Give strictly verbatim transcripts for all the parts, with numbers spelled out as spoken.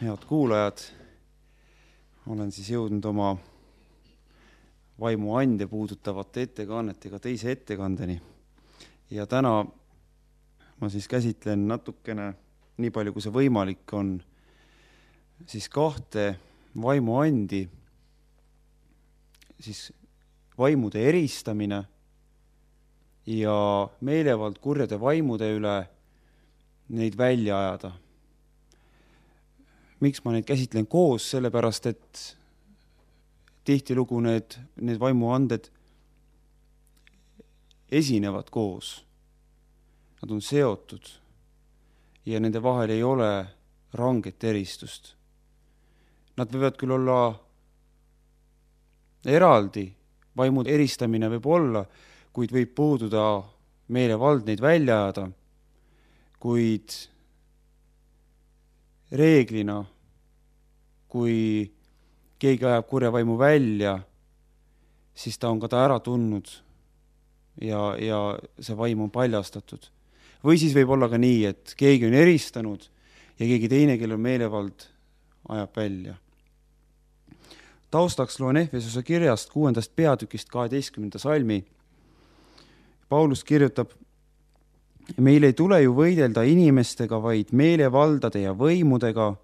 Head kuulajad, olen siis jõudnud oma vaimuande puudutavate ettekannetega teise ettekandeni. Ja täna ma siis käsitlen natukene, nii palju kui see võimalik on, siis kahte vaimuandi, siis vaimude eristamine ja meelevald kurjade vaimude üle neid välja ajada. Miks ma neid käsitlen koos? Sellepärast, et tihtilugu need, need vaimuanded esinevad koos. Nad on seotud ja nende vahel ei ole ranget eristust. Nad võivad küll olla eraldi, vaimude eristamine võib olla, kuid võib puududa meelevald neid välja ajada, kuid reeglina, kui keegi ajab kurja vaimu välja, siis ta on ka ta ära tundnud ja, ja see vaim on paljastatud. Või siis võib olla ka nii, et keegi on eristanud ja keegi teine, kellel meelevald, ajab välja. Taustaks loen Efesuse kirjast kuuendast peatükist kaheteistkümnenda salmi. Paulus kirjutab: meil ei tule ju võidelda inimestega, vaid meelevaldade ja võimudega,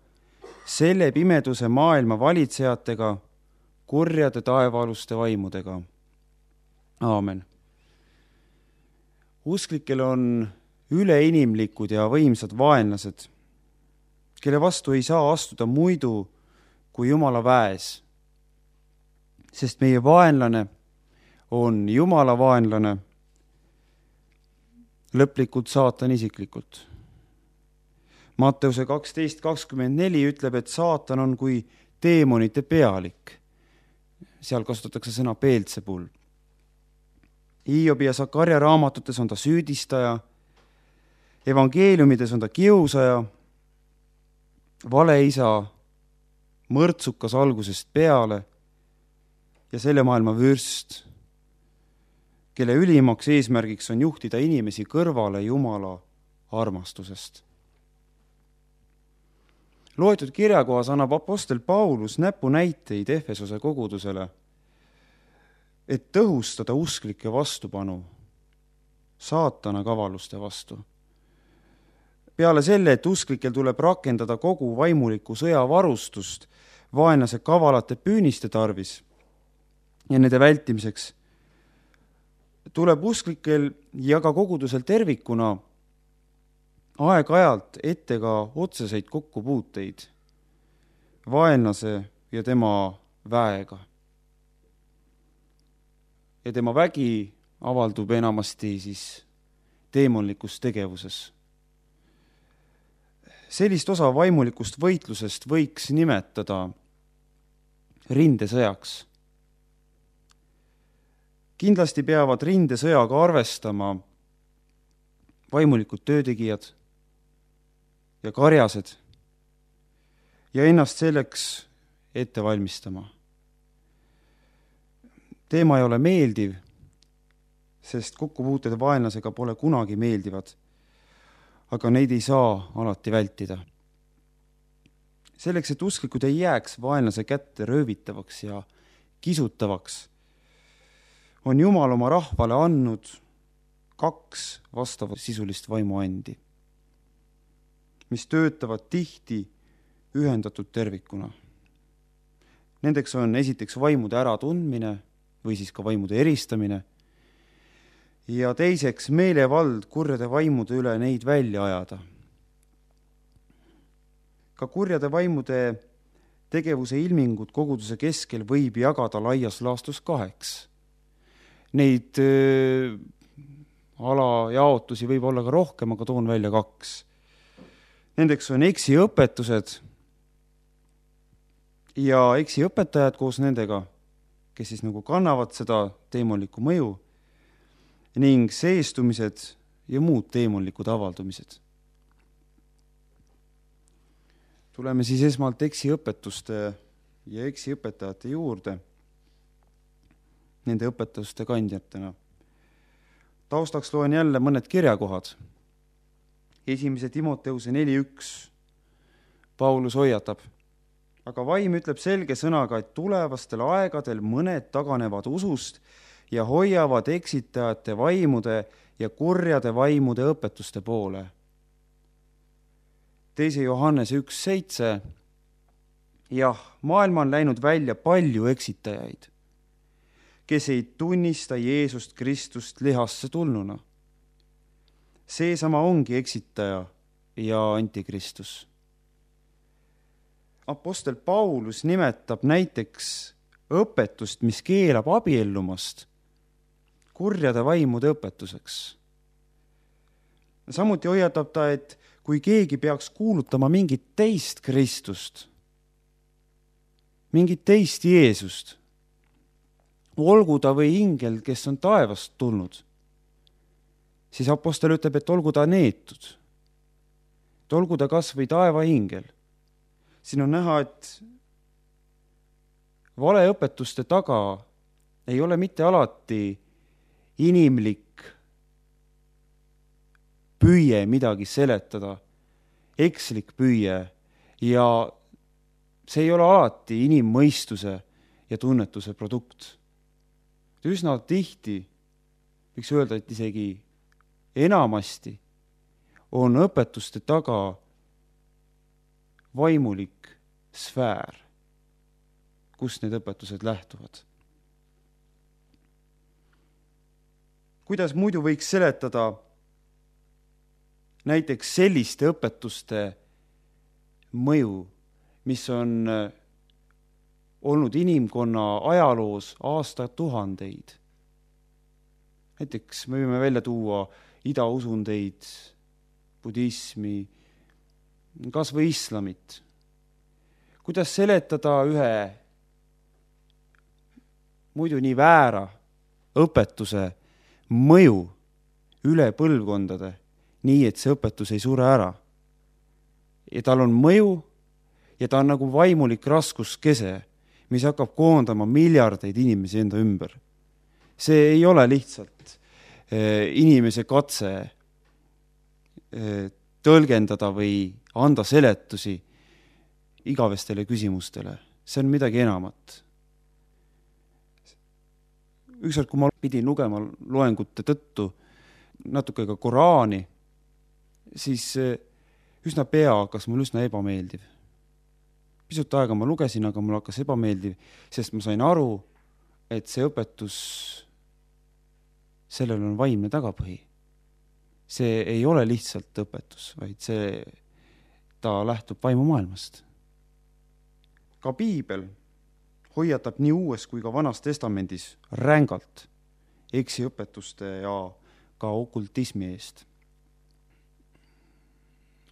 selle pimeduse maailma valitsejatega, kurjade taevaaluste vaimudega. Aamen. Usklikel on üleinimlikud ja võimsad vaenlased, kelle vastu ei saa astuda muidu kui Jumala väes, sest meie vaenlane on Jumala vaenlane, lõplikult saatan isiklikult. Matteuse kaksteist kakskümmend neli ütleb, et saatan on kui teemonite pealik. Seal kasutatakse sõna Beelzebul. Hiobi ja Sakarja raamatutes on ta süüdistaja, evangeeliumides on ta kiusaja, valeisa, mõrtsukas algusest peale ja selle maailma vürst, kelle ülimaks eesmärgiks on juhtida inimesi kõrvale Jumala armastusest. Loetud kirjakohas annab apostel Paulus näpunäiteid Efesose kogudusele, et tõhustada usklike vastupanu saatana kavaluste vastu. Peale selle, et usklikel tuleb rakendada kogu vaimuliku sõjavarustust vaenlase kavalate püüniste tarvis ja nende vältimiseks, tuleb usklikel ja ka kogudusel tervikuna aeg-ajalt ette ka otseseid kokkupuuteid vaenlase ja tema väega. Ja tema vägi avaldub enamasti siis teemonlikus tegevuses. Sellist osa vaimulikust võitlusest võiks nimetada rindesõjaks. Kindlasti peavad rindesõjaga arvestama vaimulikud töötegijad ja karjased ja ennast selleks ette valmistama. Teema ei ole meeldiv, sest kokkupuuted vaenlasega pole kunagi meeldivad, aga neid ei saa alati vältida. Selleks, et usklikud ei jääks vaenlase kätte röövitavaks ja kisutavaks, on Jumal oma rahvale andnud kaks vastava sisulist vaimuandi, mis töötavad tihti ühendatud tervikuna. Nendeks on esiteks vaimude äratundmine või siis ka vaimude eristamine ja teiseks meelevald kurjade vaimude üle neid välja ajada. Ka kurjade vaimude tegevuse ilmingud koguduse keskel võib jagada laias laastus kaheks. Neid öö, alajaotusi võib olla ka rohkem, aga toon välja kaks. Nendeks on eksiõpetused ja eksiõpetajad koos nendega, kes siis nagu kannavad seda teemonlikku mõju, ning seestumised ja muud teemonlikud avaldumised. Tuleme siis esmalt eksiõpetuste ja eksiõpetajate juurde, nende õpetuste kandjatena. Taustaks loen jälle mõned kirjakohad. Esimese Timoteuse neli üks. Paulus hoiatab. Aga vaim ütleb selge sõnaga, et tulevastel aegadel mõned taganevad usust ja hoiavad eksitajate vaimude ja kurjade vaimude õpetuste poole. teise Johannese üks seitse. Jah, maailma on läinud välja palju eksitajaid, kes ei tunnista Jeesust Kristust lihasse tulnuna. Seesama ongi eksitaja ja antikristus. Apostel Paulus nimetab näiteks õpetust, mis keelab abiellumast, kurjade vaimude õpetuseks. Samuti hoiatab ta, et kui keegi peaks kuulutama mingit teist Kristust, mingit teist Jeesust, olgu ta või ingel, kes on taevast tulnud, siis apostel ütleb, et olgu ta neetud, et olgu ta kas või taevaingel. Siin on näha, et valeõpetuste taga ei ole mitte alati inimlik püüe midagi seletada, ekslik püüe, ja see ei ole alati inimmõistuse ja tunnetuse produkt. Üsna tihti, võiks öelda, et isegi enamasti on õpetuste taga vaimulik sfäär, kust need õpetused lähtuvad. Kuidas muidu võiks seletada näiteks selliste õpetuste mõju, mis on olnud inimkonna ajaloos aastatuhandeid? Näiteks me võime välja tuua idausundeid, budismi, kas või islamit. Kuidas seletada ühe muidu nii väära õpetuse mõju üle põlvkondade, nii et see õpetus ei sure ära? Ja tal on mõju ja ta on nagu vaimulik raskuskese, mis hakkab koondama miljardeid inimesi enda ümber. See ei ole lihtsalt inimese katse tõlgendada või anda seletusi igavestele küsimustele. See on midagi enamat. Ükskord, kui ma pidin lugema loengute tõttu natuke ka Koraani, siis üsna pea hakkas mul üsna ebameeldiv. Pisut aega ma lugesin, aga mul hakkas ebameeldiv, sest ma sain aru, et see õpetus, sellel on vaimne tagapõhi. See ei ole lihtsalt õpetus, vaid see, ta lähtub vaimumaailmast. Ka piibel hoiatab nii uues kui ka vanas testamendis rängalt eksiõpetuste ja ka okultismi eest.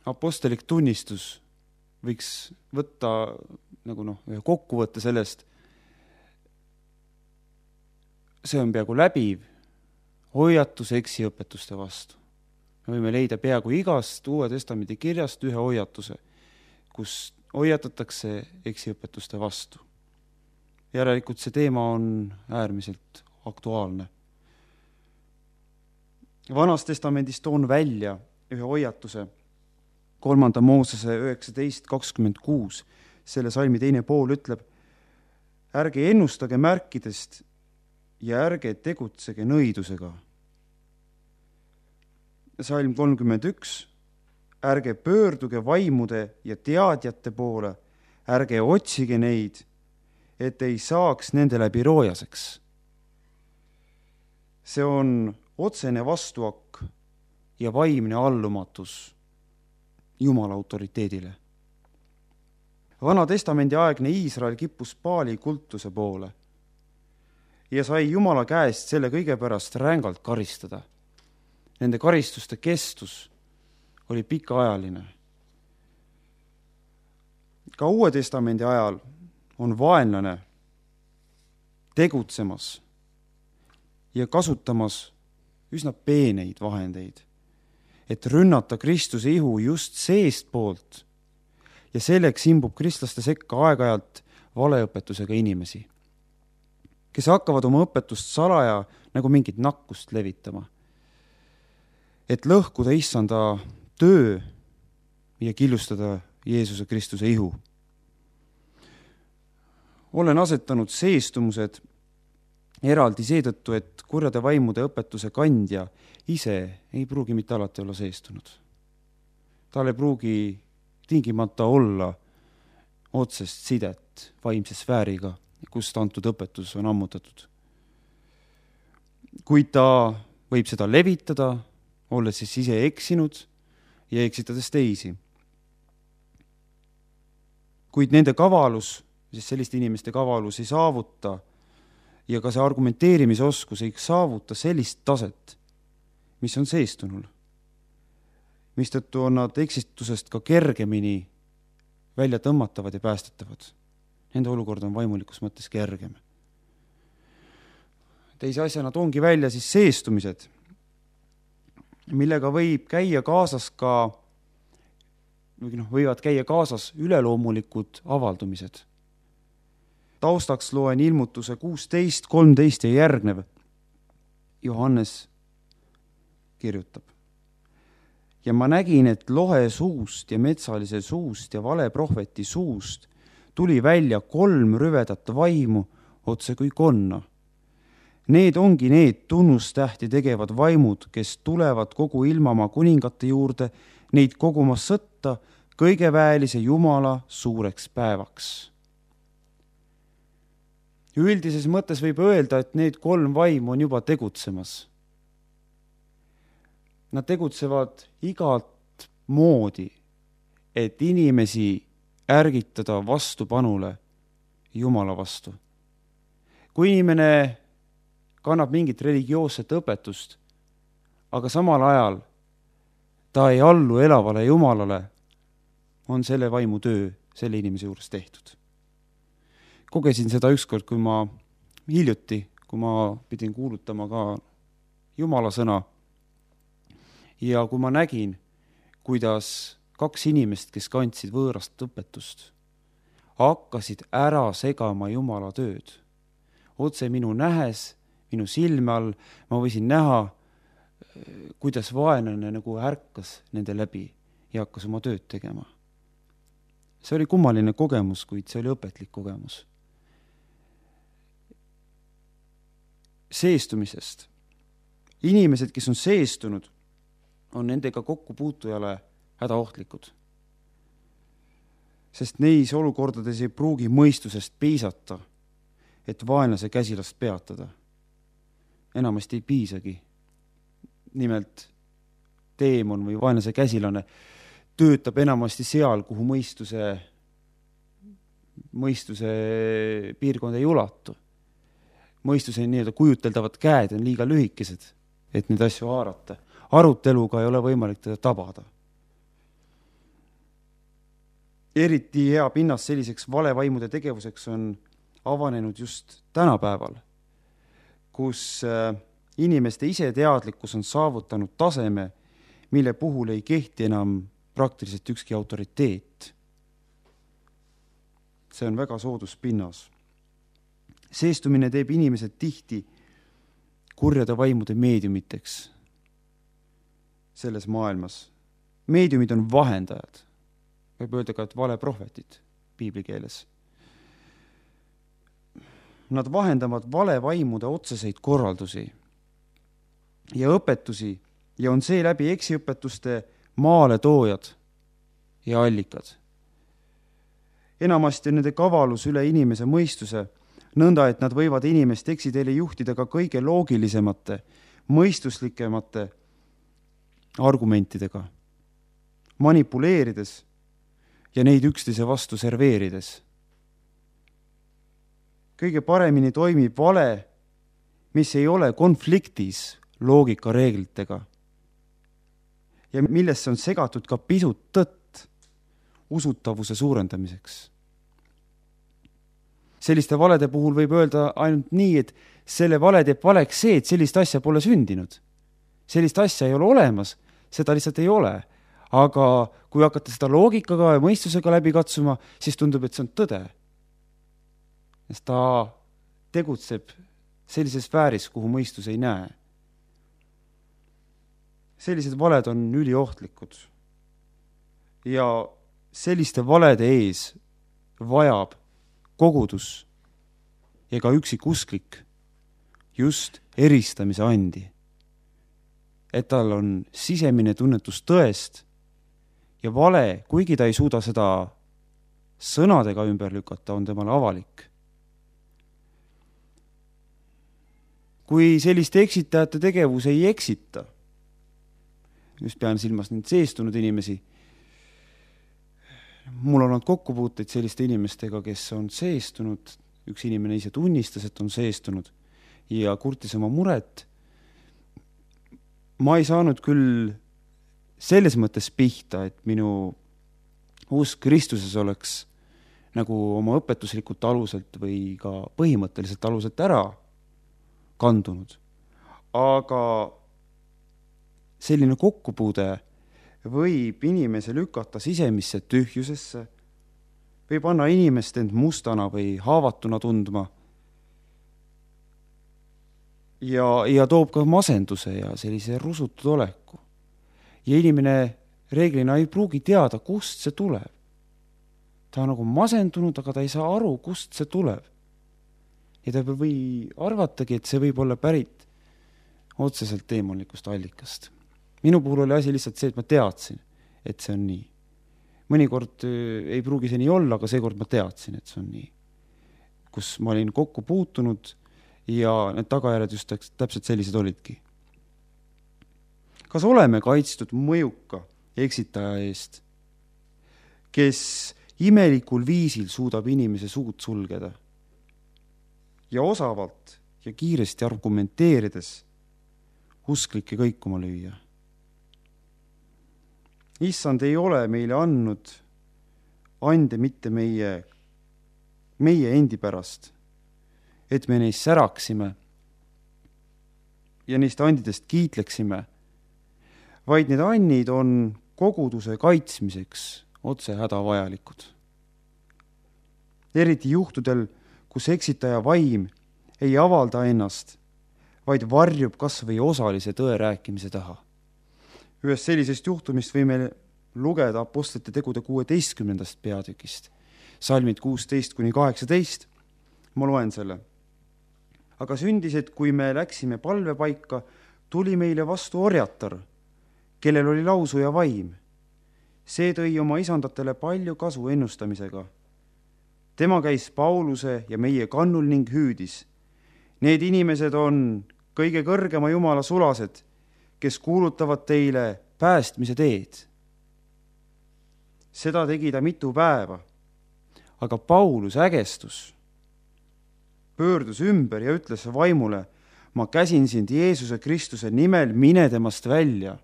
Apostelik tunnistus võiks võtta nagu noh, ühe kokkuvõtte sellest. See on peaaegu läbiv hoiatus eksiõpetuste vastu. Me võime leida peaaegu igast Uue Testamendi kirjast ühe hoiatuse, kus hoiatatakse eksiõpetuste vastu. Järelikult see teema on äärmiselt aktuaalne. Vanas testamendis toon välja ühe hoiatuse, kolmanda Moosese üheksateist kakskümmend kuus. Selle salmi teine pool ütleb, ärge ennustage märkidest ja ärge tegutsege nõidusega. Salm kolmkümmend üks, ärge pöörduge vaimude ja teadjate poole, ärge otsige neid, et ei saaks nende läbi roojaseks. See on otsene vastuakk ja vaimne allumatus Jumala autoriteedile. Vana testamendi aegne Iisrael kippus Baali kultuse poole ja sai Jumala käest selle kõige pärast rängalt karistada. Nende karistuste kestus oli pikaajaline. Ka Uue Testamendi ajal on vaenlane tegutsemas ja kasutamas üsna peeneid vahendeid, et rünnata Kristuse ihu just seest poolt ja selleks imbub kristlaste sekka aeg-ajalt valeõpetusega inimesi, kes hakkavad oma õpetust salaja nagu mingit nakkust levitama, et lõhkuda issanda töö ja killustada Jeesuse Kristuse ihu. Olen asetanud seestumused eraldi seetõttu, et kurjade vaimude õpetuse kandja ise ei pruugi mitte alati olla seestunud. Tal ei pruugi tingimata olla otsest sidet vaimse sfääriga, kust antud õpetus on ammutatud. Kuid ta võib seda levitada, olles siis ise eksinud ja eksitades teisi. Kuid nende kavalus, siis selliste inimeste kavalus ei saavuta ja ka see argumenteerimisoskus ei saavuta sellist taset, mis on seestunul. Mistõttu on nad eksitusest ka kergemini välja tõmmatavad ja päästetavad. Nende olukord on vaimulikus mõttes kergem. Teise asjana toongi välja siis seestumised, millega võib käia kaasas ka, või noh, võivad käia kaasas üleloomulikud avaldumised. Taustaks loen ilmutuse kuusteist, kolmteist ja järgnev. Johannes kirjutab. Ja ma nägin, et lohe suust ja metsalise suust ja valeprohveti suust tuli välja kolm rüvedat vaimu otse kui konna. Need ongi need tunnustähti tegevad vaimud, kes tulevad kogu ilmamaa kuningate juurde, neid kogumas sõtta kõigeväelise Jumala suureks päevaks. Üldises mõttes võib öelda, et need kolm vaimu on juba tegutsemas. Nad tegutsevad igat moodi, et inimesi ärgitada vastupanule Jumala vastu. Kui inimene kannab mingit religioosset õpetust, aga samal ajal ta ei allu elavale Jumalale, on selle vaimu töö selle inimese juures tehtud. Kogesin seda ükskord, kui ma hiljuti, kui ma pidin kuulutama ka Jumala sõna, ja kui ma nägin, kuidas kaks inimest, kes kandsid võõrast õpetust, hakkasid ära segama Jumala tööd. Otse minu nähes, minu silme all, ma võisin näha, kuidas vaenlane nagu ärkas nende läbi ja hakkas oma tööd tegema. See oli kummaline kogemus, kuid see oli õpetlik kogemus. Seestumisest. Inimesed, kes on seestunud, on nendega kokkupuutujale hädaohtlikud. Sest neis olukordades ei pruugi mõistusest piisata, et vaenlase käsilast peatada. Enamasti ei piisagi. Nimelt teemon või vaenlase käsilane töötab enamasti seal, kuhu mõistuse, mõistuse piirkond ei ulatu. Mõistuse nii-öelda kujuteldavad käed on liiga lühikesed, et neid asju haarata. Aruteluga ei ole võimalik teda tabada. Eriti hea pinnas selliseks valevaimude tegevuseks on avanenud just tänapäeval, kus inimeste iseteadlikkus on saavutanud taseme, mille puhul ei kehti enam praktiliselt ükski autoriteet. See on väga soodus pinnas. Seestumine teeb inimesed tihti kurjade vaimude meediumiteks selles maailmas. Meediumid on vahendajad. Võib öelda ka, et valeprohvetid piiblikeeles. Nad vahendavad valevaimude otseseid korraldusi ja õpetusi ja on seeläbi eksiõpetuste maale toojad ja allikad. Enamasti on nende kavalus üle inimese mõistuse, nõnda, et nad võivad inimest eksiteele juhtida ka kõige loogilisemate, mõistuslikemate argumentidega, manipuleerides ja neid üksteise vastu serveerides. Kõige paremini toimib vale, mis ei ole konfliktis loogikareeglitega ja millesse on segatud ka pisut tõtt usutavuse suurendamiseks. Selliste valede puhul võib öelda ainult nii, et selle vale teeb valeks see, et sellist asja pole sündinud. Sellist asja ei ole olemas, seda lihtsalt ei ole. Aga kui hakata seda loogikaga ja mõistusega läbi katsuma, siis tundub, et see on tõde. Sest ta tegutseb sellises sfääris, kuhu mõistus ei näe. Sellised valed on üliohtlikud. Ja selliste valede ees vajab kogudus ja ka üksik usklik just eristamise andi. Et tal on sisemine tunnetus tõest ja vale, kuigi ta ei suuda seda sõnadega ümber lükata, on temale avalik. Kui selliste eksitajate tegevus ei eksita, just pean silmas neid seestunud inimesi, mul on olnud kokkupuuteid selliste inimestega, kes on seestunud, üks inimene ise tunnistas, et on seestunud ja kurtis oma muret. Ma ei saanud küll selles mõttes pihta, et minu usk Kristuses oleks nagu oma õpetuslikult aluselt või ka põhimõtteliselt aluselt ära kandunud. Aga selline kokkupuude võib inimese lükata sisemisse tühjusesse, võib anna inimest end mustana või haavatuna tundma ja, ja toob ka masenduse ja sellise rusutud oleku. Ja inimene reeglina ei pruugi teada, kust see tuleb. Ta on nagu masendunud, aga ta ei saa aru, kust see tuleb. Ja ta või arvatagi, et see võib olla pärit otseselt teemonlikust allikast. Minu puhul oli asi lihtsalt see, et ma teadsin, et see on nii. Mõnikord ei pruugi see nii olla, aga seekord ma teadsin, et see on nii. Kus ma olin kokku puutunud ja need tagajärjed just täpselt sellised olidki. Kas oleme kaitstud mõjuka eksitaja eest, kes imelikul viisil suudab inimese suud sulgeda ja osavalt ja kiiresti argumenteerides usklikke kõikuma lüüa? Issand ei ole meile andnud ande mitte meie, meie endi pärast, et me neist säraksime ja neist andidest kiitleksime, vaid need annid on koguduse kaitsmiseks otse hädavajalikud. Eriti juhtudel, kus eksitaja vaim ei avalda ennast, vaid varjub kas või osalise tõe rääkimise taha. Ühest sellisest juhtumist võime lugeda apostlite tegude kuueteistkümnendast peatükist, salmid kuusteist kuni kaheksateist. Ma loen selle. Aga sündis, et kui me läksime palvepaika, tuli meile vastu orjatar, kellel oli lausu ja vaim. See tõi oma isandatele palju kasu ennustamisega. Tema käis Pauluse ja meie kannul ning hüüdis. Need inimesed on kõige kõrgema Jumala sulased, kes kuulutavad teile päästmise teed. Seda tegi ta mitu päeva, aga Paulus ägestus, pöördus ümber ja ütles vaimule, ma käsin sind Jeesuse Kristuse nimel, mine temast välja.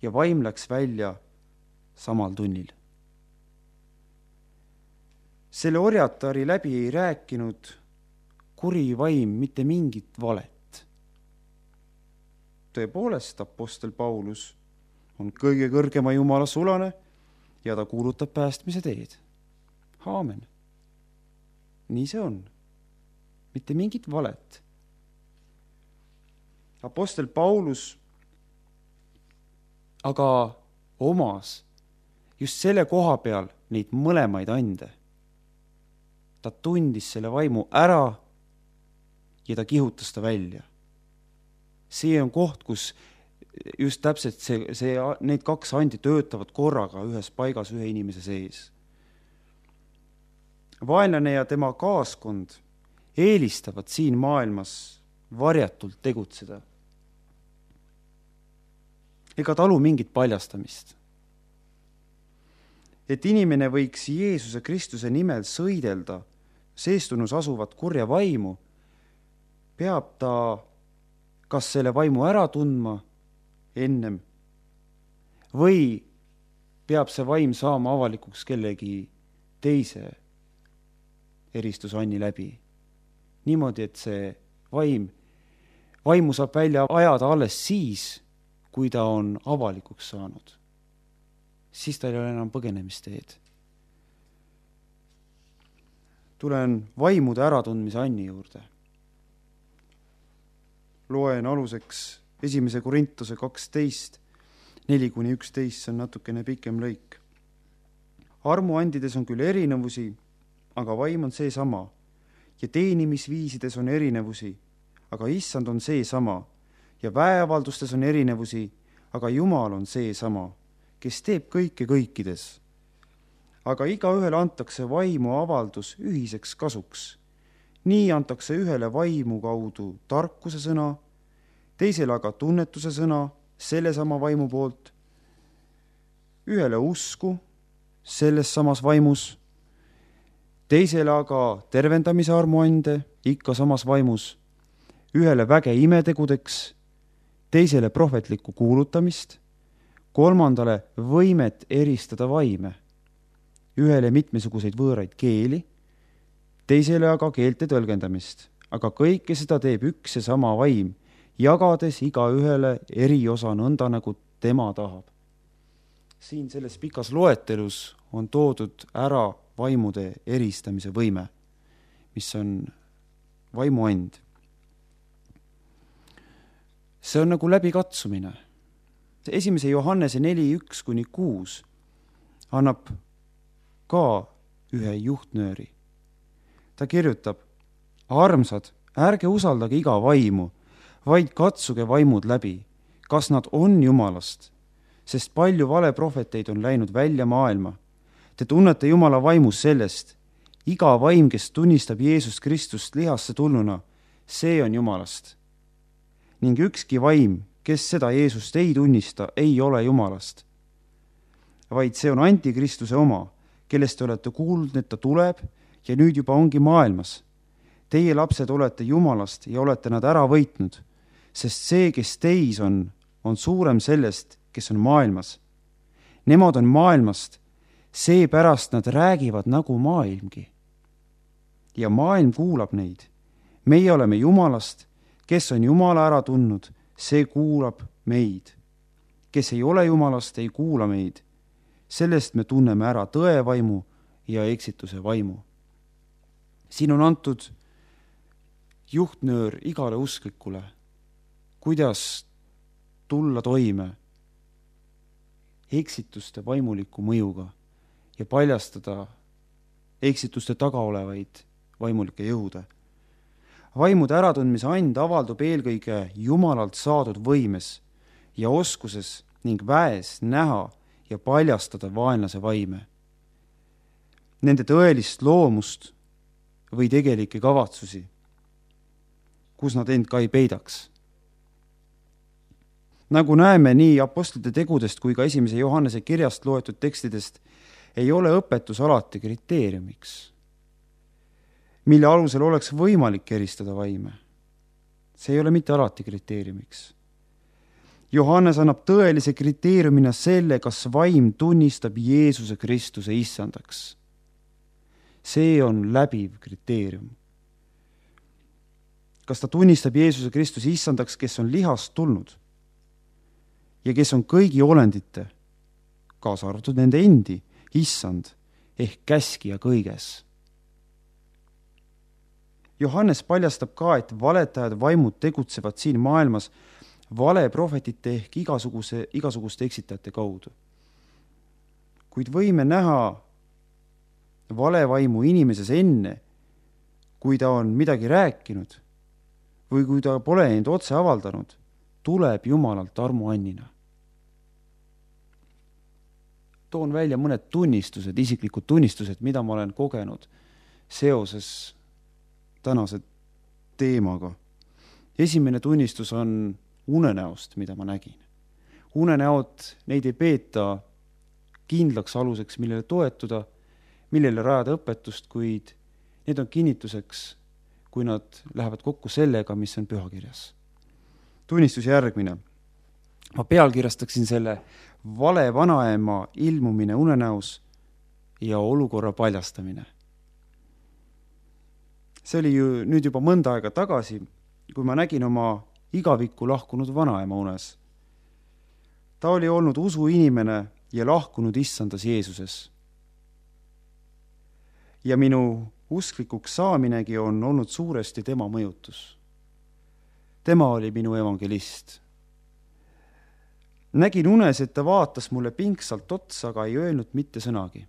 Ja vaim läks välja samal tunnil. Selle orjatari läbi ei rääkinud kuri vaim mitte mingit valet. Tõepoolest, apostel Paulus on kõige kõrgema Jumala sulane ja ta kuulutab päästmise teed. Aamen. Nii see on. Mitte mingit valet. Apostel Paulus aga omas just selle koha peal neid mõlemaid ande. Ta tundis selle vaimu ära ja ta kihutas ta välja. See on koht, kus just täpselt see, see, need kaks andi töötavad korraga ühes paigas ühe inimese sees. Vaenlane ja tema kaaskond eelistavad siin maailmas varjatult tegutseda. Ega talu mingit paljastamist. Et inimene võiks Jeesuse Kristuse nimel sõidelda seestunus asuvat kurja vaimu, peab ta kas selle vaimu ära tundma ennem või peab see vaim saama avalikuks kellegi teise eristusanni läbi. Niimoodi, et see vaim, vaimu saab välja ajada alles siis, kui ta on avalikuks saanud. Siis ta ei ole enam põgenemisteed. Tulen vaimude äratundmise anni juurde. Loen aluseks esimese Korintuse kaksteist, neli kuni üksteist, see on natukene pikem lõik. armuandides on küll erinevusi, aga vaim on seesama. Ja teenimisviisides on erinevusi, aga issand on seesama. Ja väeavaldustes on erinevusi, aga Jumal on seesama, kes teeb kõike kõikides. Aga igaühele antakse vaimu avaldus ühiseks kasuks. Nii antakse ühele vaimu kaudu tarkuse sõna, teisele aga tunnetuse sõna sellesama vaimu poolt, ühele usku selles samas vaimus, teisele aga tervendamise armuande ikka samas vaimus, ühele väge imetegudeks, teisele prohvetlikku kuulutamist, kolmandale võimet eristada vaime, ühele mitmesuguseid võõraid keeli, teisele aga keelte tõlgendamist, aga kõike seda teeb üks ja sama vaim, jagades igaühele eriosa nõnda, nagu tema tahab. Siin selles pikas loetelus on toodud ära vaimude eristamise võime, mis on vaimuand. See on nagu läbikatsumine. Esimese Johannese neli üks kuni kuus annab ka ühe juhtnööri. Ta kirjutab, armsad, ärge usaldage iga vaimu, vaid katsuge vaimud läbi, kas nad on Jumalast, sest palju valeprohveteid on läinud välja maailma. Te tunnete Jumala vaimus sellest, iga vaim, kes tunnistab Jeesus Kristust lihasse tulnuna, see on Jumalast. Ning ükski vaim, kes seda Jeesust ei tunnista, ei ole Jumalast, vaid see on antikristuse oma, kellest te olete kuulnud, et ta tuleb ja nüüd juba ongi maailmas. Teie lapsed olete Jumalast ja olete nad ära võitnud, sest see, kes teis on, on suurem sellest, kes on maailmas. Nemad on maailmast, seepärast nad räägivad nagu maailmgi. Ja maailm kuulab neid. Meie oleme Jumalast, kes on Jumala ära tundnud, see kuulab meid. Kes ei ole Jumalast, ei kuula meid. Sellest me tunneme ära tõevaimu ja eksituse vaimu. Siin on antud juhtnöör igale usklikule, kuidas tulla toime eksituste vaimuliku mõjuga ja paljastada eksituste taga olevaid vaimulikke jõude. Vaimude äratundmise and avaldub eelkõige Jumalalt saadud võimes ja oskuses ning väes näha ja paljastada vaenlase vaime, nende tõelist loomust või tegelikke kavatsusi, kus nad end ka ei peidaks. Nagu näeme nii apostlite tegudest kui ka esimese Johannese kirjast loetud tekstidest, ei ole õpetus alati kriteeriumiks, mille alusel oleks võimalik eristada vaime. See ei ole mitte alati kriteeriumiks. Johannes annab tõelise kriteeriumina selle, kas vaim tunnistab Jeesuse Kristuse issandaks. See on läbiv kriteerium. Kas ta tunnistab Jeesuse Kristuse issandaks, kes on lihast tulnud ja kes on kõigi olendite, kaasa arvatud nende endi, issand ehk käskija kõiges. Johannes paljastab ka, et valetajad vaimud tegutsevad siin maailmas valeprohvetite ehk igasuguse, igasuguste eksitajate kaudu. Kuid võime näha valevaimu inimeses enne, kui ta on midagi rääkinud või kui ta pole end otse avaldanud, tuleb Jumalalt armuannina. Toon välja mõned tunnistused, isiklikud tunnistused, mida ma olen kogenud seoses tänase teemaga. Esimene tunnistus on unenäost, mida ma nägin. Unenäod, neid ei peeta kindlaks aluseks, millele toetuda, millele rajada õpetust, kuid need on kinnituseks, kui nad lähevad kokku sellega, mis on pühakirjas. Tunnistus järgmine. Ma pealkirjastaksin selle vale vanaema ilmumine unenäos ja olukorra paljastamine. See oli ju nüüd juba mõnda aega tagasi, kui ma nägin oma igavikku lahkunud vanaema unes. Ta oli olnud usuinimene ja lahkunud issandas Jeesuses. Ja minu usklikuks saaminegi on olnud suuresti tema mõjutus. Tema oli minu evangelist. Nägin unes, et ta vaatas mulle pingsalt otsa, aga ei öelnud mitte sõnagi.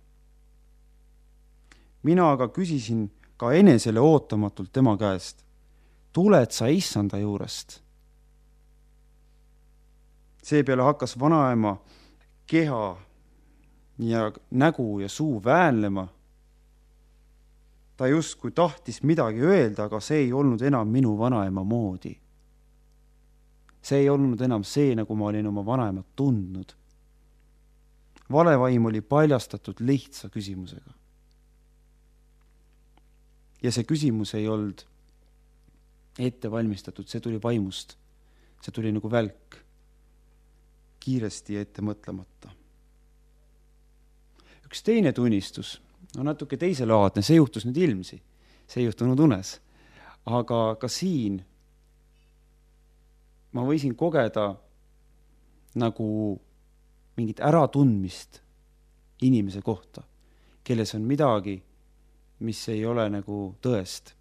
mina aga küsisin ka enesele ootamatult tema käest, tuled sa issanda juurest? Seepeale hakkas vanaema keha ja nägu ja suu väänlema. Ta justkui tahtis midagi öelda, aga see ei olnud enam minu vanaema moodi. See ei olnud enam see, nagu ma olin oma vanaemat tundnud. Valevaim oli paljastatud lihtsa küsimusega. Ja see küsimus ei olnud ette valmistatud, see tuli vaimust. See tuli nagu välk, kiiresti ja ette mõtlemata. Üks teine tunnistus on natuke teiselaadne, see juhtus nüüd ilmsi, see ei juhtunud unes. Aga ka siin ma võisin kogeda nagu mingit äratundmist inimese kohta, kelles on midagi, mis ei ole nagu tõest.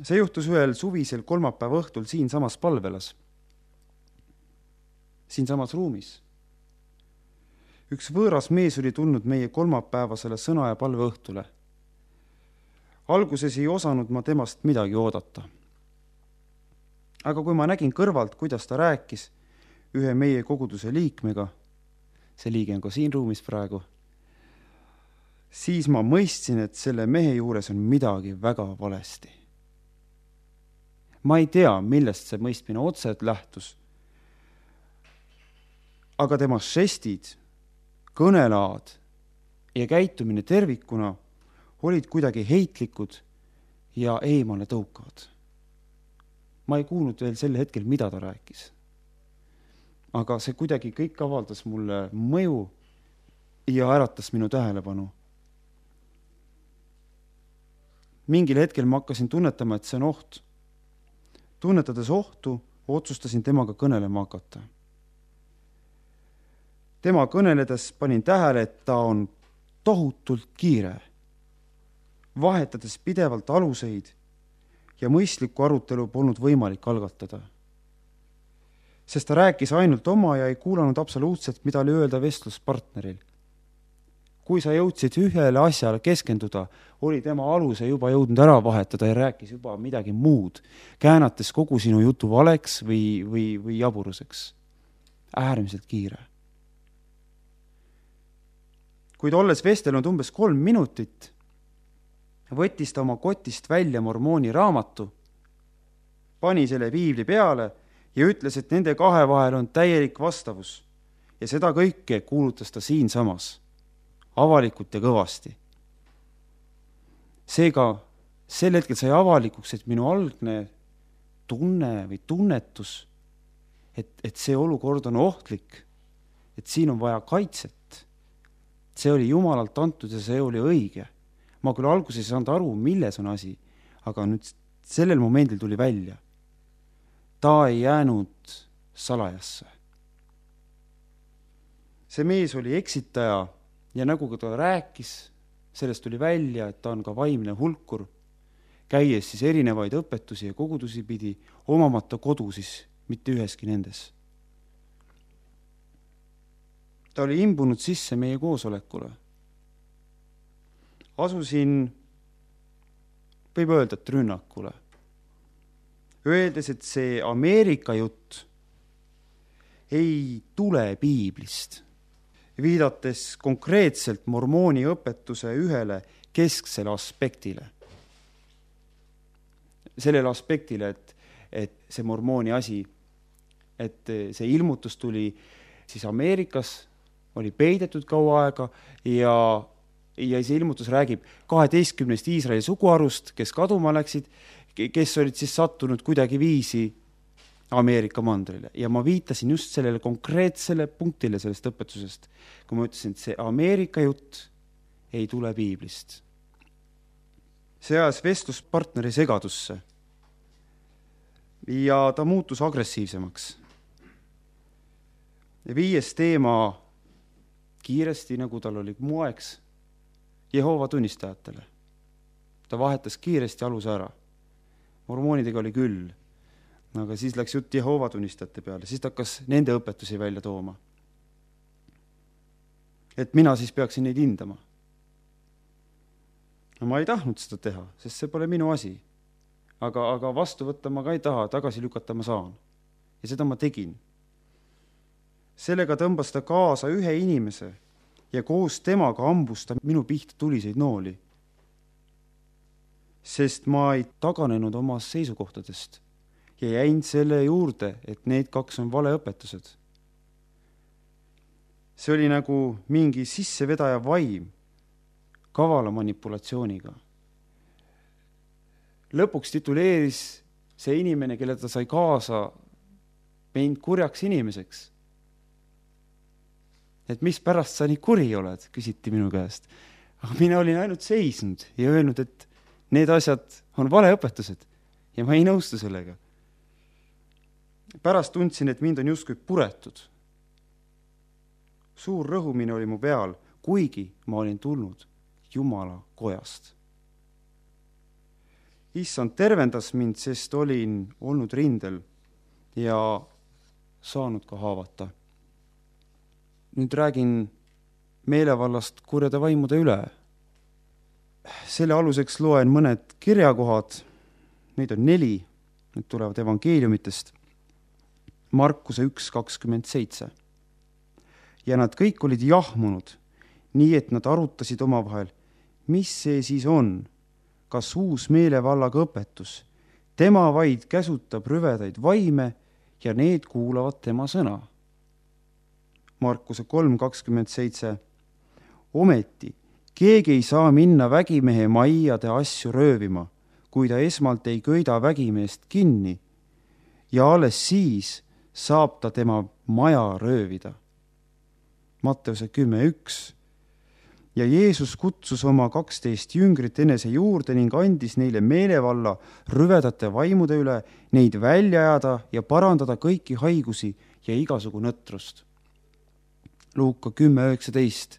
See juhtus ühel suvisel kolmapäeva õhtul siin samas palvelas, siin samas ruumis. Üks võõras mees oli tulnud meie kolmapäevasele sõna- ja palve õhtule. Alguses ei osanud ma temast midagi oodata. Aga kui ma nägin kõrvalt, kuidas ta rääkis ühe meie koguduse liikmega, see liige on ka siin ruumis praegu, siis ma mõistsin, et selle mehe juures on midagi väga valesti. Ma ei tea, millest see mõistmine otseselt lähtus, aga tema žestid, kõnelaad ja käitumine tervikuna olid kuidagi heitlikud ja eemale tõukavad. Ma ei kuulnud veel sel hetkel, mida ta rääkis. Aga see kuidagi kõik avaldas mulle mõju ja äratas minu tähelepanu. Mingil hetkel ma hakkasin tunnetama, et see on oht. Tunnetades ohtu, otsustasin temaga kõnelema hakata. Tema kõneledes panin tähele, et ta on tohutult kiire, vahetades pidevalt aluseid ja mõistlikku arutelu polnud võimalik algatada. Sest ta rääkis ainult oma ja ei kuulanud absoluutselt, mida oli öelda vestluspartneril. Kui sa jõudsid ühele asjale keskenduda, oli tema aluse juba jõudnud ära vahetada ja rääkis juba midagi muud, käänates kogu sinu jutu valeks või, või, või jaburuseks. Äärmiselt kiire. Kuid olles vestelnud umbes kolm minutit, võttis ta oma kotist välja mormooni raamatu, pani selle piibli peale ja ütles, et nende kahe vahel on täielik vastavus ja seda kõike kuulutas ta siin samas, avalikult ja kõvasti. Seega sel hetkel sai avalikuks, et minu algne tunne või tunnetus, et, et see olukord on ohtlik, et siin on vaja kaitset. See oli Jumalalt antud ja see oli õige. Ma küll alguses ei saanud aru, milles on asi, aga nüüd sellel momendil tuli välja. Ta ei jäänud salajasse. See mees oli eksitaja ja nagu ta rääkis, sellest tuli välja, et ta on ka vaimne hulkur, käies siis erinevaid õpetusi ja kogudusi pidi, omamata kodu siis mitte üheski nendes. Ta oli imbunud sisse meie koosolekule. Asusin, võib öelda, et rünnakule. Öeldes, et see Ameerika jutt ei tule piiblist, viidates konkreetselt mormooni õpetuse ühele kesksele aspektile. Sellele aspektile, et, et see mormooni asi, et see ilmutus tuli siis Ameerikas, oli peidetud kaua aega ja, ja see ilmutus räägib kaheteistkümnest Iisraeli suguharust, kes kaduma läksid, kes olid siis sattunud kuidagi viisi Ameerika mandrile. Ja ma viitasin just sellele konkreetsele punktile sellest õpetusest, kui ma ütlesin, et see Ameerika jutt ei tule piiblist. See ajas vestluspartneri segadusse ja ta muutus agressiivsemaks. Ja viies teema kiiresti, nagu tal oli moeks, Jehoova tunnistajatele. Ta vahetas kiiresti aluse ära. Mormoonidega oli küll, aga siis läks jutt Jehoova tunnistajate peale, siis ta hakkas nende õpetusi välja tooma. Et mina siis peaksin neid hindama. no ma ei tahtnud seda teha, sest see pole minu asi. Aga, aga vastu võtta ma ka ei taha, tagasi lükata ma saan. Ja seda ma tegin. Sellega tõmbas ta kaasa ühe inimese ja koos temaga ambus ta minu pihta tuliseid nooli. Sest ma ei taganenud oma seisukohtadest ja jäin selle juurde, et need kaks on valeõpetused. See oli nagu mingi sissevedaja vaim kavala manipulatsiooniga. Lõpuks tituleeris see inimene, kelle ta sai kaasa, mind kurjaks inimeseks. Et mis pärast sa nii kuri oled, küsiti minu käest. Aga mina olin ainult seisnud ja öelnud, et need asjad on valeõpetused ja ma ei nõustu sellega. Pärast tundsin, et mind on justkui puretud. Suur rõhumine oli mu peal, kuigi ma olin tulnud Jumala kojast. Issand tervendas mind, sest olin olnud rindel ja saanud ka haavata. Nüüd räägin meelevallast kurjade vaimude üle. Selle aluseks loen mõned kirjakohad, neid on neli, need tulevad evangeeliumitest. Markuse üks kakskümmend seitse. Ja nad kõik olid jahmunud, nii et nad arutasid omavahel, mis see siis on, kas uus meelevallaga õpetus. Tema vaid käsutab rüvedaid vaime ja need kuulavad tema sõna. Markuse kolm kakskümmend seitse. Ometi, keegi ei saa minna vägimehe maiade asju röövima, kui ta esmalt ei köida vägimeest kinni ja alles siis saab ta tema maja röövida. Matteuse kümme üks. Ja Jeesus kutsus oma kaksteist jüngrit enese juurde ning andis neile meelevalla rüvedate vaimude üle, neid välja ajada ja parandada kõiki haigusi ja igasugu nõtrust. Luuka kümme üheksateist.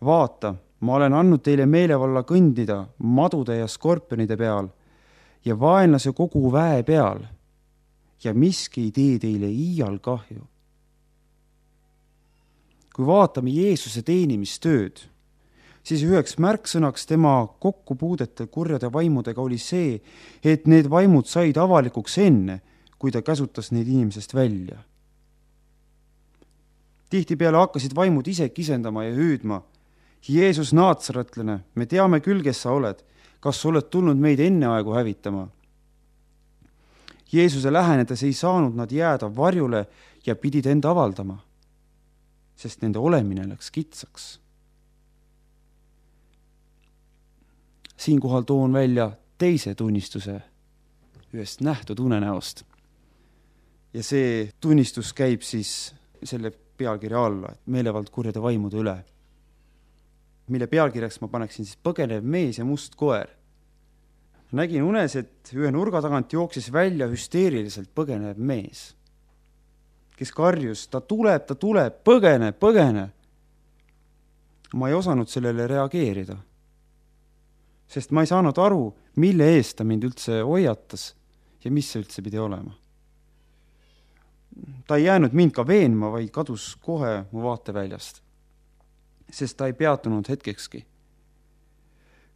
Vaata, ma olen andnud teile meelevalla kõndida madude ja skorpionide peal ja vaenlase kogu väe peal ja miski ei tee teile iial kahju. Kui vaatame Jeesuse teenimistööd, siis üheks märksõnaks tema kokkupuudete kurjade vaimudega oli see, et need vaimud said avalikuks enne, kui ta käsutas neid inimesest välja. Tihtipeale hakkasid vaimud ise kisendama ja hüüdma. Jeesus Naatsaretlane, me teame küll, kes sa oled. Kas sa oled tulnud meid enne aegu hävitama? Jeesuse lähenedes ei saanud nad jääda varjule ja pidid enda avaldama, sest nende olemine läks kitsaks. Siinkohal toon välja teise tunnistuse ühest nähtud unenäost. Ja see tunnistus käib siis selle pealkirja alla, et meelevald kurjade vaimude üle, mille pealkirjaks ma paneksin siis põgenev mees ja must koer. Nägin unes, et ühe nurga tagant jooksis välja hüsteeriliselt põgenev mees, kes karjus, ta tuleb, ta tuleb, põgene, põgene. Ma ei osanud sellele reageerida, sest ma ei saanud aru, mille eest ta mind üldse hoiatas ja mis see üldse pidi olema. Ta ei jäänud mind ka veenma, vaid kadus kohe mu vaateväljast, sest ta ei peatunud hetkekski.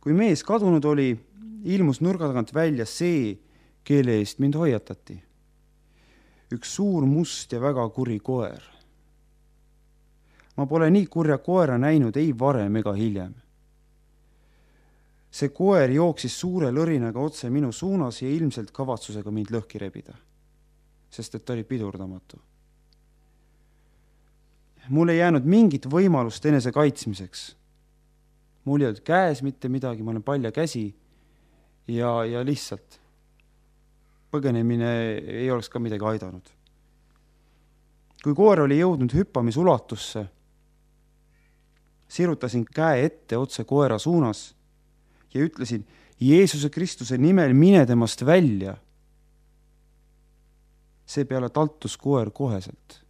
Kui mees kadunud oli, ilmus nurga tagant välja see, kelle eest mind hoiatati. Üks suur must ja väga kuri koer. Ma pole nii kurja koera näinud ei varem ega hiljem. See koer jooksis suure lõrinaga otse minu suunas ja ilmselt kavatsusega mind lõhki rebida, sest et ta oli pidurdamatu. Mul ei jäänud mingit võimalust enese kaitsmiseks. Mul ei olnud käes mitte midagi, ma olen palja käsi ja, ja lihtsalt põgenemine ei oleks ka midagi aidanud. Kui koer oli jõudnud hüppamisulatusse, sirutasin käe ette otse koera suunas ja ütlesin, Jeesuse Kristuse nimel mine temast välja. Seepeale taltus koer koheselt.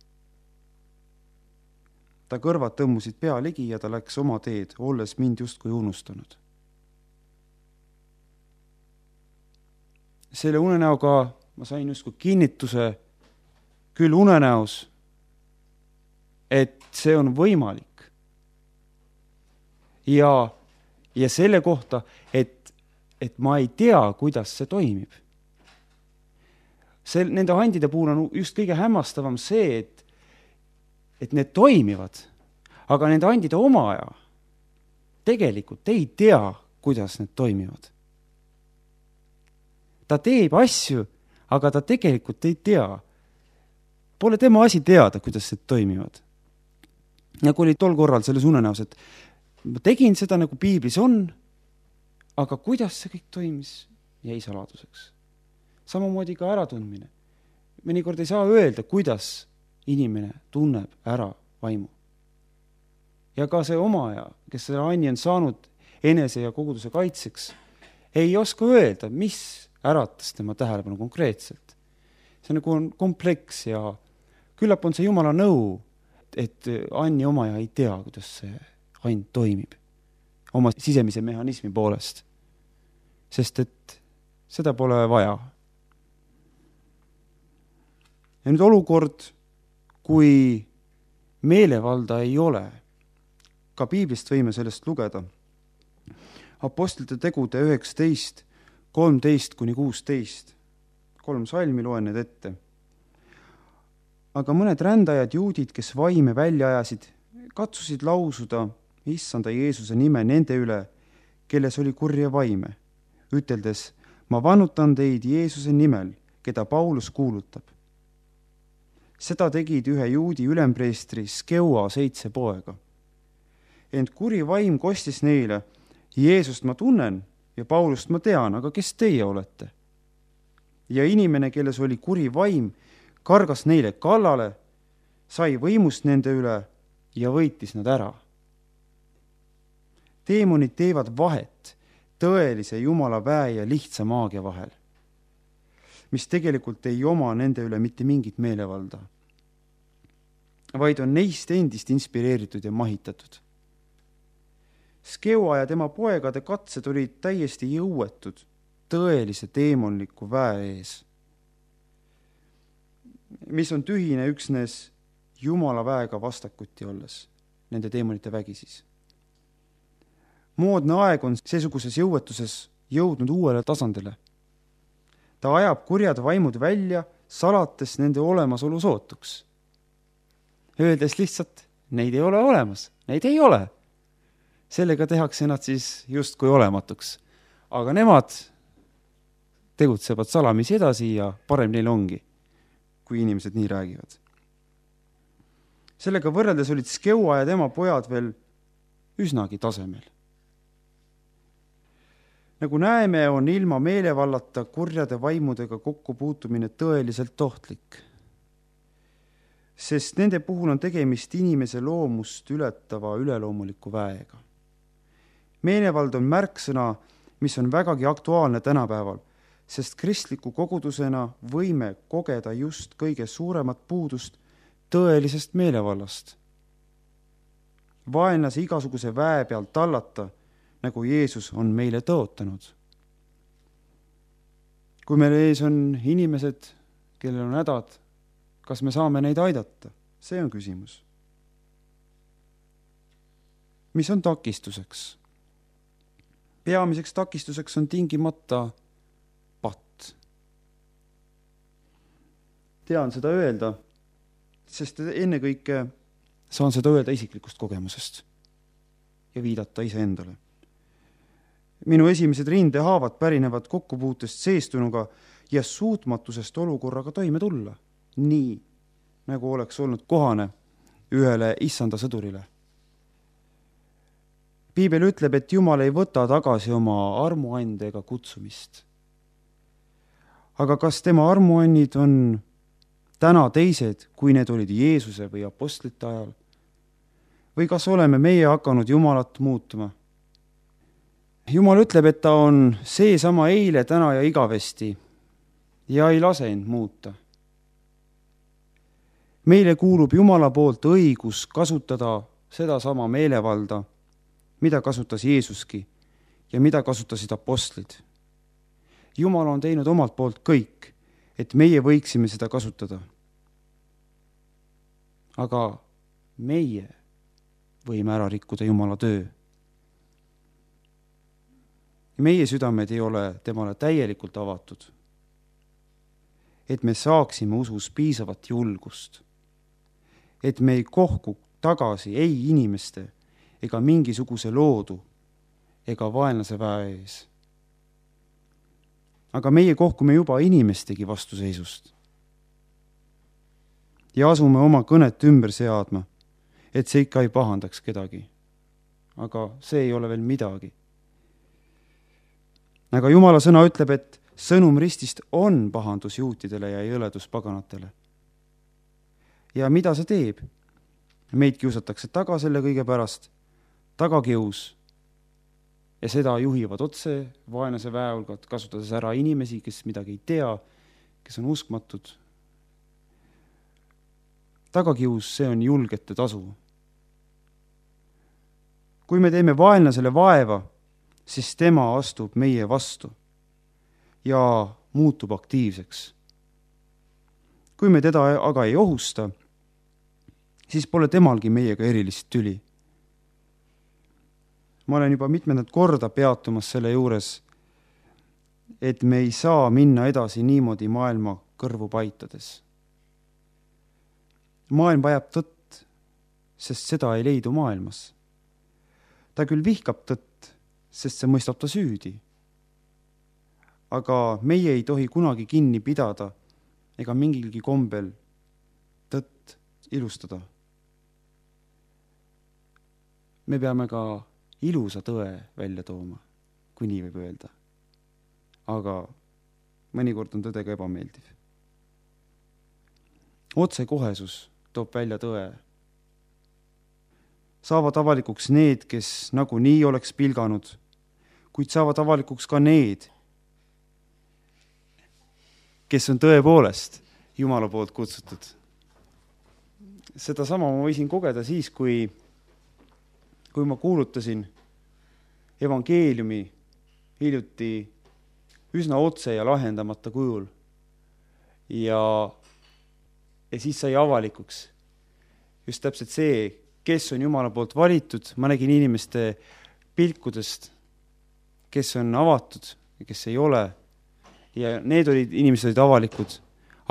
Ta kõrvad tõmmusid pea ligi ja ta läks oma teed, olles mind justkui unustanud. Selle unenäoga ma sain justkui kinnituse küll unenäos, et see on võimalik. Ja ja selle kohta, et, et ma ei tea, kuidas see toimib. See, nende andide puhul on just kõige hämmastavam see, et, et need toimivad, aga nende andide omaja tegelikult ei tea, kuidas need toimivad. Ta teeb asju, aga ta tegelikult ei tea. Pole tema asi teada, kuidas need toimivad. Nagu oli tol korral selles unenäos, et ma tegin seda, nagu piiblis on, aga kuidas see kõik toimis, jäi saladuseks. Samamoodi ka äratundmine. Mõnikord ei saa öelda, kuidas inimene tunneb ära vaimu. Ja ka see omaja, kes selle anni on saanud enese ja koguduse kaitseks, ei oska öelda, mis äratas tema tähelepanu konkreetselt. See nagu on kompleks ja küllap on see Jumala nõu, et anni omaja ei tea, kuidas see and toimib oma sisemise mehhanismi poolest. Sest et seda pole vaja. Ja nüüd olukord, kui meelevalda ei ole, ka piiblist võime sellest lugeda. Apostlite tegude üheksateist, kolmteist kuni kuusteist. Kolm salmi loen need ette. Aga mõned rändajad juudid, kes vaime välja ajasid, katsusid lausuda issanda Jeesuse nime nende üle, kelles oli kurja vaime, üteldes, ma vannutan teid Jeesuse nimel, keda Paulus kuulutab. Seda tegid ühe juudi ülempreestri Skeua seitse poega. Ent kuri vaim kostis neile, Jeesust ma tunnen ja Paulust ma tean, aga kes teie olete? Ja inimene, kelles oli kuri vaim, kargas neile kallale, sai võimust nende üle ja võitis nad ära. Teemonid teevad vahet tõelise Jumala väe ja lihtsa maagia vahel, mis tegelikult ei oma nende üle mitte mingit meelevalda, vaid on neist endist inspireeritud ja mahitatud. Skeua ja tema poegade katsed olid täiesti jõuetud tõelise teemonliku väe ees, mis on tühine üksnes Jumala väega vastakuti olles, nende teemonite vägi siis. Moodne aeg on seesuguses jõuetuses jõudnud uuele tasandile. Ta ajab kurjad vaimud välja, salates nende olemasolu sootuks. Öeldes lihtsalt, neid ei ole olemas, neid ei ole. Sellega tehakse nad siis justkui olematuks. Aga nemad tegutsevad salamisi edasi ja parem neil ongi, kui inimesed nii räägivad. Sellega võrreldes olid Skeua ja tema pojad veel üsnagi tasemel. Nagu näeme, on ilma meelevallata kurjade vaimudega kokkupuutumine tõeliselt ohtlik, sest nende puhul on tegemist inimese loomust ületava üleloomuliku väega. Meelevald on märksõna, mis on vägagi aktuaalne tänapäeval, sest kristliku kogudusena võime kogeda just kõige suuremat puudust tõelisest meelevallast. Vaenlase igasuguse väe peal tallata, nagu Jeesus on meile tõotanud. Kui meil ees on inimesed, kellel on hädad, kas me saame neid aidata? See on küsimus. Mis on takistuseks? Peamiseks takistuseks on tingimata patt. Tean seda öelda, sest ennekõike saan seda öelda isiklikust kogemusest ja viidata iseendale. Minu esimesed rindehaavad pärinevad kokkupuutest seestunuga ja suutmatusest olukorraga toime tulla, nii nagu oleks olnud kohane ühele issanda sõdurile. Piibel ütleb, et Jumal ei võta tagasi oma armuande ega kutsumist. Aga kas tema armuannid on täna teised, kui need olid Jeesuse või apostlite ajal? Või kas oleme meie hakanud Jumalat muutuma? Jumal ütleb, et ta on seesama eile, täna ja igavesti ja ei lase end muuta. Meile kuulub Jumala poolt õigus kasutada seda sama meelevalda, mida kasutas Jeesuski ja mida kasutasid apostlid. Jumal on teinud omalt poolt kõik, et meie võiksime seda kasutada. Aga meie võime ära rikkuda Jumala töö. meie südamed ei ole temale täielikult avatud, et me saaksime usus piisavat julgust, et me ei kohku tagasi ei inimeste ega mingisuguse loodu ega vaenlase väe ees. Aga meie kohkume juba inimestegi vastuseisust ja asume oma kõnet ümber seadma, et see ikka ei pahandaks kedagi. Aga see ei ole veel midagi. Aga Jumala sõna ütleb, et sõnum ristist on pahandus juutidele ja jõledus paganatele. Ja mida see teeb? Meid kiusatakse taga selle kõige pärast, tagakius, ja seda juhivad otse vaenlase väeulgad, kasutades ära inimesi, kes midagi ei tea, kes on uskmatud. Tagakius, see on julgete tasu. Kui me teeme vaenlasele vaeva, siis tema astub meie vastu ja muutub aktiivseks. Kui me teda aga ei ohusta, siis pole temalgi meiega erilist tüli. Ma olen juba mitmendat korda peatumas selle juures, et me ei saa minna edasi niimoodi maailma kõrvu paitades. Maailm vajab tõtt, sest seda ei leidu maailmas. Ta küll vihkab tõtt, sest see mõistab ta süüdi. Aga meie ei tohi kunagi kinni pidada ega mingilgi kombel tõtt ilustada. Me peame ka ilusa tõe välja tooma, kui nii võib öelda. Aga mõnikord on tõde ka ebameeldiv. Otsekohesus toob välja tõe. Saavad avalikuks need, kes nagu nii oleks pilganud, kuid saavad avalikuks ka need, kes on tõepoolest Jumala poolt kutsutud. Seda sama ma võisin kogeda siis, kui, kui ma kuulutasin evangeeliumi hiljuti üsna otse ja lahendamata kujul. Ja, ja siis sai avalikuks just täpselt see, kes on Jumala poolt valitud. Ma nägin inimeste pilkudest, kes on avatud ja kes ei ole. Ja need olid, inimesed olid avalikud,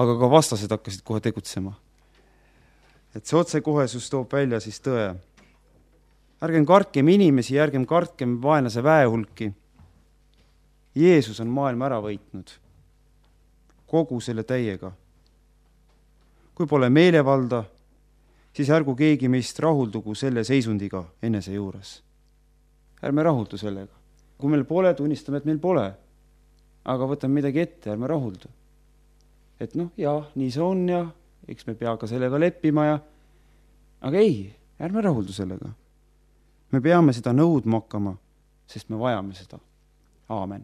aga ka vastased hakkasid kohe tegutsema. Et see otsekohesus toob välja siis tõe. Ärgem kartkem inimesi, ärgem kartkem vaenlase väehulki. Jeesus on maailma ära võitnud kogu selle täiega. Kui pole meelevalda, siis ärgu keegi meist rahuldugu selle seisundiga enese juures. Ärme rahuldu sellega. Kui meil pole, tunnistame, et meil pole. Aga võtame midagi ette, ärme rahuldu. Et noh, jah, nii see on ja eks me pea ka sellega leppima ja aga ei, ärme rahuldu sellega. Me peame seda nõudma hakkama, sest me vajame seda. Aamen.